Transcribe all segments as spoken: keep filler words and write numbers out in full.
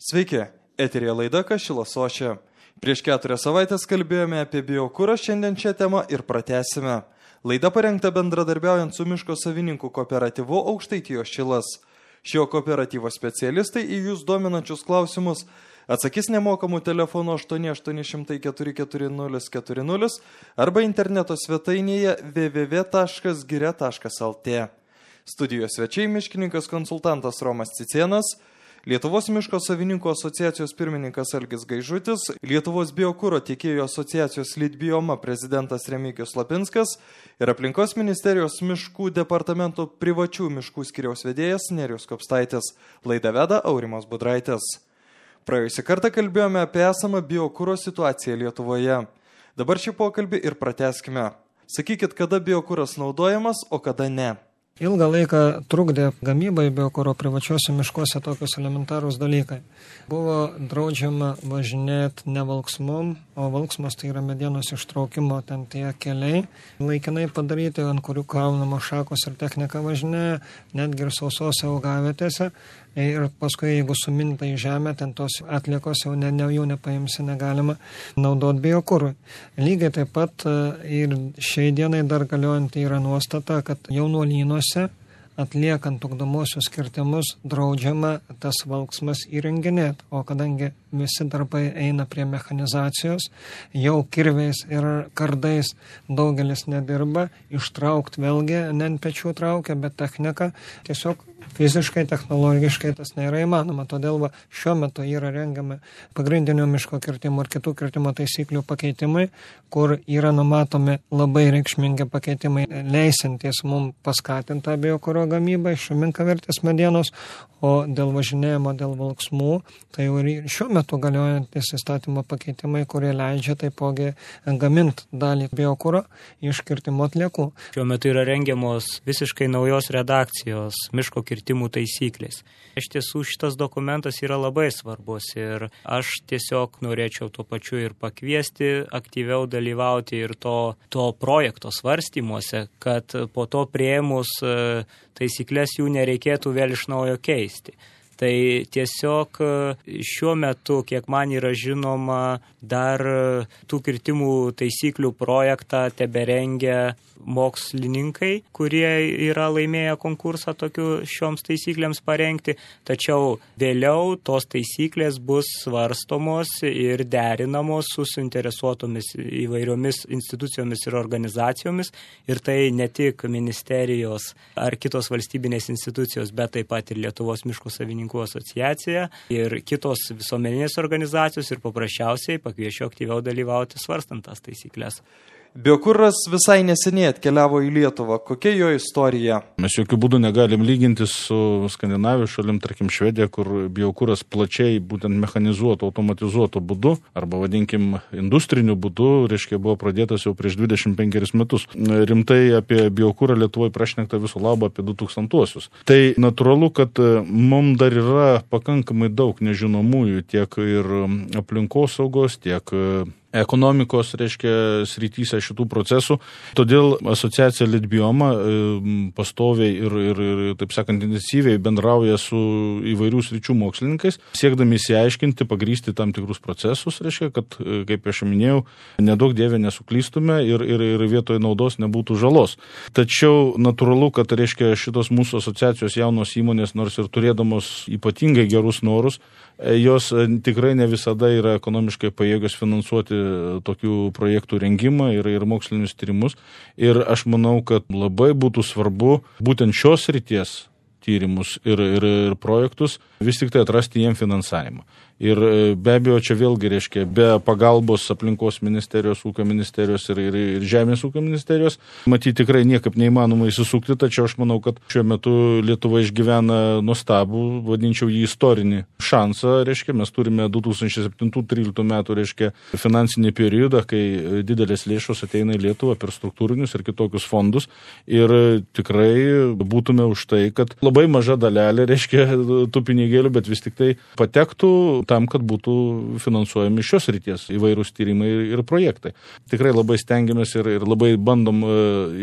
Sveiki, eterija laida Kašilas Ošia. Prieš keturias savaitės kalbėjome apie biokurą, šiandien šią temą ir pratęsime. Laida parengta bendradarbiaujant su miško savininkų kooperatyvu Aukštaitijos Šilas. Šio kooperatyvo specialistai į jūs dominančius klausimus atsakys nemokamų telefonu aštuoni aštuoni šimtai keturi keturi nulis keturi nulis arba interneto svetainėje w w w taškas giria taškas l t. Studijos svečiai miškininkas konsultantas Romas Cicėnas, Lietuvos miško savininkų asociacijos pirmininkas Algis Gaižutis, Lietuvos biokuro tiekėjų asociacijos Litbioma prezidentas Remigijus Lapinskas ir aplinkos ministerijos miškų departamento privačių miškų skyriaus vedėjas Nerijus Kopstaitis. Laidą veda Aurimas Budraitis. Praėjusį kartą kalbėjome apie esamą biokuro situaciją Lietuvoje. Dabar šį pokalbį ir pratęskime. Sakykit, kada biokuras naudojamas, o kada ne. Ilgą laiką trukdė gamybai biokuro privačiuose miškuose tokius elementarūs dalykai. Buvo draudžiama važinėti ne valksmom, o valksmas tai yra medienos ištraukimo ten tie keliai. Laikinai padaryti, ant kurių kraunamos šakos ir technika važinėja, netgi ir sausose augavietėse. Ir paskui, jeigu suminta į žemę, ten tos atliekos jau ne, ne, jau nepaimsi, negalima naudoti biokurui. Lygiai taip pat ir šiai dienai dar galiojant yra nuostata, kad jaunuolynuose atliekant ugdomosius kirtimus draudžiama tas valksmas įrenginėti, o kadangi visi darbai eina prie mechanizacijos, jau kirviais ir kardais daugelis nedirba, ištraukti vėlgi ne ant pečių traukia, bet technika tiesiog fiziškai, technologiškai tas nėra įmanoma. Todėl va, šiuo metu yra rengiami pagrindinio miško kirtimo ir kitų kirtimo taisyklių pakeitimai, kur yra numatomi labai reikšmingi pakeitimai, leisintis mums paskatintą biokuro gamybą iš menkavertės medienos, o dėl važinėjimo, dėl valksmų, tai jau ir šiuo metu galiojantis įstatymo pakeitimai, kurie leidžia taipogi gaminti dalį biokuro iš kirtimo atliekų. Šiuo metu yra rengiamos visiškai naujos redakcijos miško kirtimų taisyklės. Iš tiesų šitas dokumentas yra labai svarbus ir aš tiesiog norėčiau tuo pačiu ir pakviesti aktyviau dalyvauti ir to, to projekto svarstymuose, kad po to priėmus taisyklės jų nereikėtų vėl iš naujo keisti. Tai tiesiog šiuo metu, kiek man yra žinoma, dar tų kirtimų taisyklių projektą teberengia mokslininkai, kurie yra laimėję konkursą tokiu šioms taisyklėms parengti, tačiau vėliau tos taisyklės bus svarstomos ir derinamos su suinteresuotomis įvairiomis institucijomis ir organizacijomis, ir tai ne tik ministerijos ar kitos valstybinės institucijos, bet taip pat ir Lietuvos miško savininkų asociacija ir kitos visuomeninės organizacijos, ir paprasčiausiai pakviešiu aktyviau dalyvauti svarstant tas taisyklės. Biokuras visai neseniai atkeliavo į Lietuvą. Kokia jo istorija? Mes jokių būdų negalim lyginti su Skandinavijos šalim, tarkim Švedija, kur biokuras plačiai būtent mechanizuotų, automatizuotų būdu, arba vadinkim industriniu būdu, reiškia, buvo pradėtas jau prieš dvidešimt penkerius metus. Rimtai apie biokurą Lietuvoje prašnekta viso labo apie du tūkstantuosius. Tai natūralu, kad mums dar yra pakankamai daug nežinomųjų tiek ir aplinkosaugos, tiek ekonomikos, reiškia, srityse šitų procesų. Todėl asociacija Litbioma pastoviai ir, ir, ir, taip sakant, intensyviai bendrauja su įvairių sričių mokslininkais, siekdami įsiaiškinti, pagrysti tam tikrus procesus, reiškia, kad, kaip aš minėjau, nedaug dievė nesuklystume ir, ir, ir vietoje naudos nebūtų žalos. Tačiau natūralu, kad, reiškia, šitos mūsų asociacijos jaunos įmonės, nors ir turėdamos ypatingai gerus norus, jos tikrai ne visada yra ekonomiškai pajėgios finansuoti tokių projektų rengimą ir, ir mokslinius tyrimus. Ir aš manau, kad labai būtų svarbu būtent šios srities tyrimus ir, ir, ir projektus vis tik tai atrasti jiem finansavimą. Ir be abejo, čia vėlgi reiškia, be pagalbos aplinkos ministerijos, ūkio ministerijos ir, ir, ir žemės ūkio ministerijos, matyti tikrai niekaip neįmanoma įsisukti, tačiau aš manau, kad šiuo metu Lietuva išgyvena nuostabų, vadinčiau jį istorinį šansą, reiškia, mes turime du tūkstančiai septintų tryliktų metų, reiškia, finansinį periodą, kai didelės lėšos ateina į Lietuvą per struktūrinius ir kitokius fondus, ir tikrai būtume už tai, kad labai labai maža dalelė, reiškia, tų pinigėlių, bet vis tik tai patektų tam, kad būtų finansuojami šios ryties įvairūs tyrimai ir projektai. Tikrai labai stengiamės ir, ir labai bandom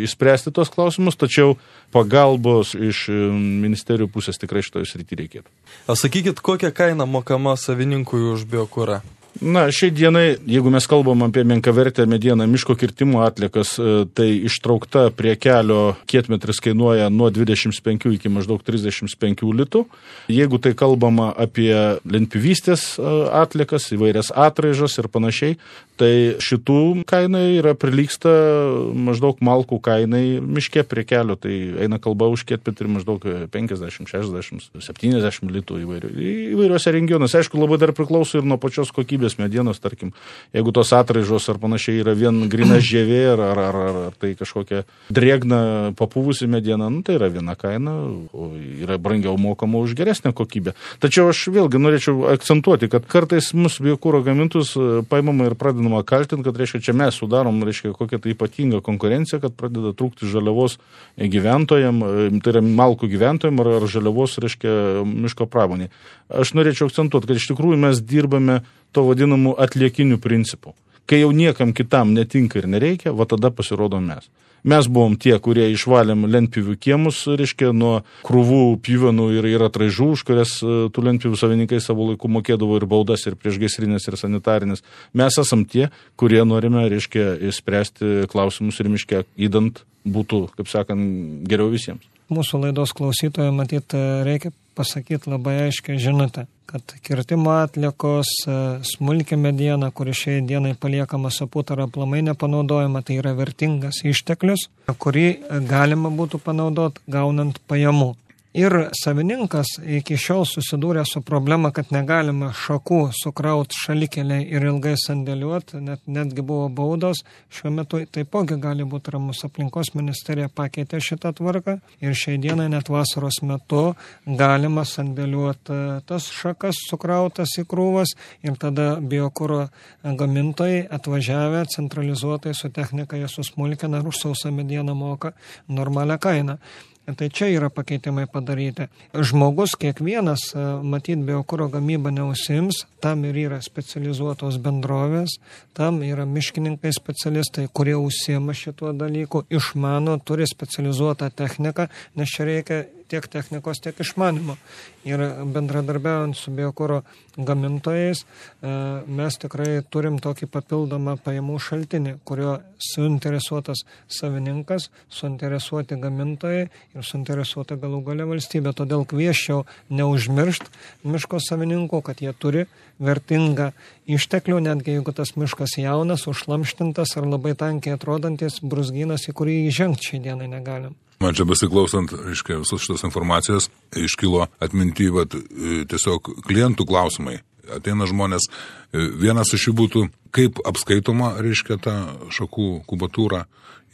išspręsti tos klausimus, tačiau pagalbos iš ministerijų pusės tikrai šitoje srityje reikėtų. O sakykit, kokią kainą mokama savininkui už biokurą? Na, šiai dienai, jeigu mes kalbam apie menkavertę medieną miško kirtimo atliekas, tai ištraukta prie kelio kietmetris kainuoja nuo dvidešimt penkių iki maždaug trisdešimt penkių litų. Jeigu tai kalbama apie lentpjūvystės atliekas, įvairias atraižas ir panašiai, tai šitų kainai yra prilygsta maždaug malkų kainai miške prie kelio. Tai eina kalba už kietmetrį maždaug penkiasdešimt, šešiasdešimt, septyniasdešimt litų įvairių, įvairiuose regionuose. Aišku, labai dar priklauso ir nuo pačios kokybės medienos, tarkim, jeigu tos atraižos ar panašiai yra vien grina žievė ar, ar, ar, ar tai kažkokia drėgna papūvusi mediena, nu, tai yra viena kaina, o yra brangiau mokama už geresnę kokybę. Tačiau aš vėlgi norėčiau akcentuoti, kad kartais mūsų biokuro gamintus paimama ir pradedama kaltinti, kad reiškia, čia mes sudarom, reiškia, kokią tai ypatingą konkurenciją, kad pradeda trūkti žaliavos gyventojam, tai yra malkų gyventojam ar, ar žaliavos, reiškia, miško pramonė. Aš norėčiau akcentuoti, kad iš tikrųjų mes dirbame to vadinamų atliekinių principų. Kai jau niekam kitam netinka ir nereikia, va tada pasirodom mes. Mes buvom tie, kurie išvalėm lentpjūvių kiemus, reiškia, nuo krūvų pjuvenų ir, ir atraižų, už kurias tų lentpjūvių savininkai savo laiku mokėdavo ir baudas, ir priešgaisrinės, ir sanitarinės. Mes esam tie, kurie norime, reiškia, spręsti klausimus ir miške, įdant būtų, kaip sakant, geriau visiems. Mūsų laidos klausytojai, matyt, reikia pasakyti labai aiškiai žinutę, kad kirtimo atliekos, smulki mediena, kuri šiai dienai paliekama saput ar aplamai nepanaudojama, tai yra vertingas išteklius, kurį galima būtų panaudoti gaunant pajamų. Ir savininkas iki šiol susidūrė su problema, kad negalima šakų sukrauti šalikeliai ir ilgai sandėliuoti, net, netgi buvo baudos. Šiuo metu taipogi gali būti ramus. Aplinkos ministerija pakeitė šitą tvarką ir šiai dienai net vasaros metu galima sandėliuoti tas šakas sukrautas į krūvas ir tada biokuro gamintojai atvažiavę centralizuotai su technika jie susmulkina ir už sausą medieną moka normalią kainą. Tai čia yra pakeitimai padaryti. Žmogus kiekvienas, matyt, biokuro gamybą neusims, tam ir yra specializuotos bendrovės, tam yra miškininkai specialistai, kurie užsiema šituo dalyku, išmano, turi specializuotą techniką, nes čia reikia tiek technikos, tiek išmanimo. Ir bendradarbiaujant su biokuro gamintojais, mes tikrai turim tokį papildomą pajamų šaltinį, kurio suinteresuotas savininkas, suinteresuoti gamintojai ir suinteresuota galų galia valstybė. Todėl kvieščiau neužmiršt miško savininkų, kad jie turi vertingą išteklių, netgi jeigu tas miškas jaunas, užlamštintas ar labai tankiai atrodantis brūzgynas, į kurį įžengti šiai dienai negalim. Man čia besiklausant, reiškia, visos šitos informacijos, iškilo atminty, vat, tiesiog klientų klausimai. Ateina žmonės, vienas iš jų būtų, kaip apskaitoma, reiškia, ta šakų kubatūra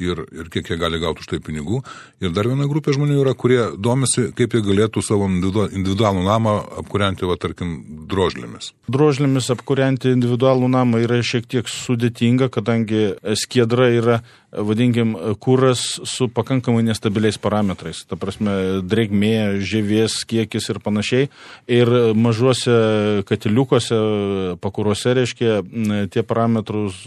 ir, ir kiek jie gali gauti už tai pinigų. Ir dar viena grupė žmonių yra, kurie domisi, kaip jie galėtų savo individualų namą apkūrenti, va, tarkim, drožlėmis. Drožlėmis apkūrenti individualų namą yra šiek tiek sudėtinga, kadangi skiedra yra, vadinkim, kuras su pakankamai nestabiliais parametrais. Ta prasme, drėgmė, žievės kiekis ir panašiai. Ir mažuose katiliukuose, pakuruose, reiškia, tie parametrus,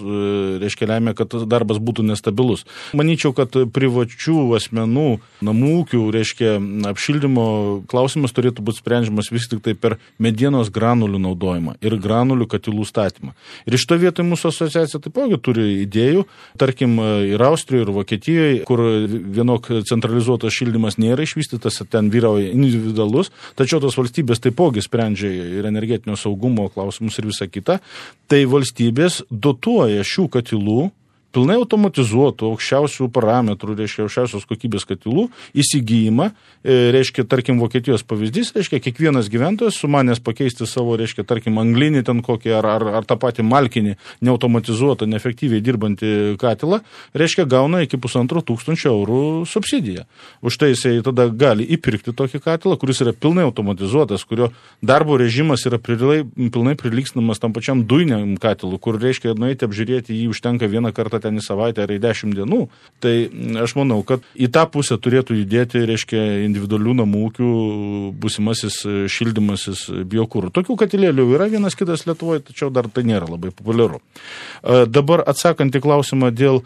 reiškia, lemia, kad darbas būtų nestabilus. Manyčiau, kad privačių asmenų, namų ūkių, reiškia, apšildymo klausimas turėtų būti sprendžiamas vis tik tai per medienos granulių naudojimą ir granulių katilų statymą. Ir iš to vietoj mūsų asociacija taipogi turi idėjų, tarkim, ir Austrijoje, ir Vokietijoje, kur vienok centralizuotas šildymas nėra išvystytas, ten vyrauja individualus, tačiau tos valstybės taipogi sprendžia ir energetinio saugumo klausimus ir visą kitą. Tai valstybės dotuoja šių katilų pilnai automatizuotų, aukščiausių parametrų, reiškia, aukščiausios kokybės katilų įsigijimą, reiškia, tarkim, Vokietijos pavyzdys, reiškia, kiekvienas gyventojas sumanęs pakeisti savo, reiškia, tarkim, anglinį ten kokį ar, ar, ar tą patį malkinį, neautomatizuotą, neefektyviai dirbantį katilą, reiškia, gauna iki pusantro tūkstančio eurų subsidiją. Už tai jisai tada gali įpirkti tokį katilą, kuris yra pilnai automatizuotas, kurio darbo režimas yra prilai, pilnai prilygstamas tam pačiam dujiniam katilui, kur, reiškia, nueiti apžiūrėti jį užtenka vieną kartą ten į savaitę ar į dešimt dienų. Tai aš manau, kad į tą pusę turėtų judėti, reiškia, individualių namų ūkių būsimasis šildymasis biokūrų. Tokių katilėlių yra vienas kitas Lietuvoje, tačiau dar tai nėra labai populiaru. Dabar atsakant į klausimą dėl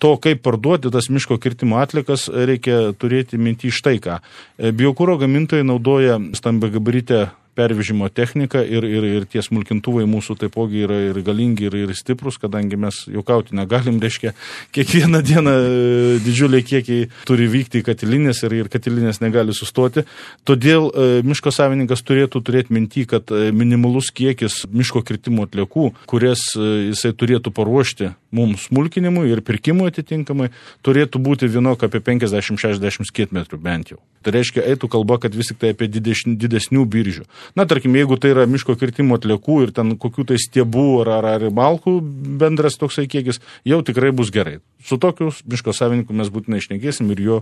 to, kaip parduoti tas miško kirtimo atlikas, reikia turėti minty štai ką. Biokūro gamintojai naudoja stambiagabaritę pervežimo technika ir, ir, ir tie smulkintuvai mūsų taipogi yra ir galingi, ir, ir stiprus, kadangi mes juokauti negalim, reiškia, kiekvieną dieną didžiuliai kiekiai turi vykti į katilinės ir, ir katilinės negali sustoti. Todėl e, miško savininkas turėtų turėti minty, kad minimalus kiekis miško kirtimo atliekų, kurias e, jisai turėtų paruošti mums smulkinimui ir pirkimui atitinkamai, turėtų būti vienok apie penkiasdešimt šešiasdešimt kietmetrų bent jau. Tai reiškia, eitų kalba, kad vis tik tai apie didesnių, didesnių biržių. Na, tarkim, jeigu tai yra miško kirtimo atliekų ir ten kokių tai stiebų ar, ar, ar malkų bendras toksai kiekis, jau tikrai bus gerai. Su tokiu miško savininku mes būtinai išnekėsim ir jo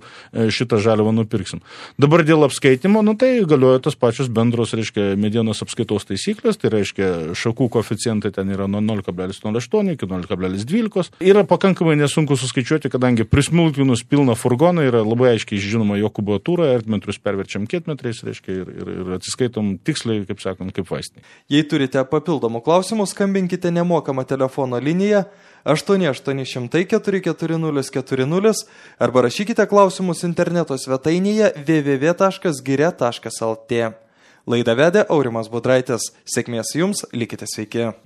šitą žaliavą nupirksim. Dabar dėl apskaitimo, nu tai galioja tos pačios bendros, reiškia, medienos apskaitos taisyklės, tai reiškia, šakų koeficientai ten yra nuo nol kablelis nulis aštuoni iki nol kablelis dvylika. Yra pakankamai nesunku suskaičiuoti, kadangi prismulkinus pilną furgoną yra labai aiškiai žinoma jo kubatūra, ertmetrus perverčiam kietmetrais, reiškia, ir, ir, ir atsiskaitom tiksliai, kaip sakant, kaip vaistinė. Jei turite papildomų klausimų, skambinkite nemokamą telefono liniją aštuoni aštuoni šimtai keturi keturi nulis keturi nulis arba rašykite klausimus interneto svetainėje w w w taškas giria taškas l t. Laidą vedė Aurimas Budraitis. Sėkmės jums, likite sveiki.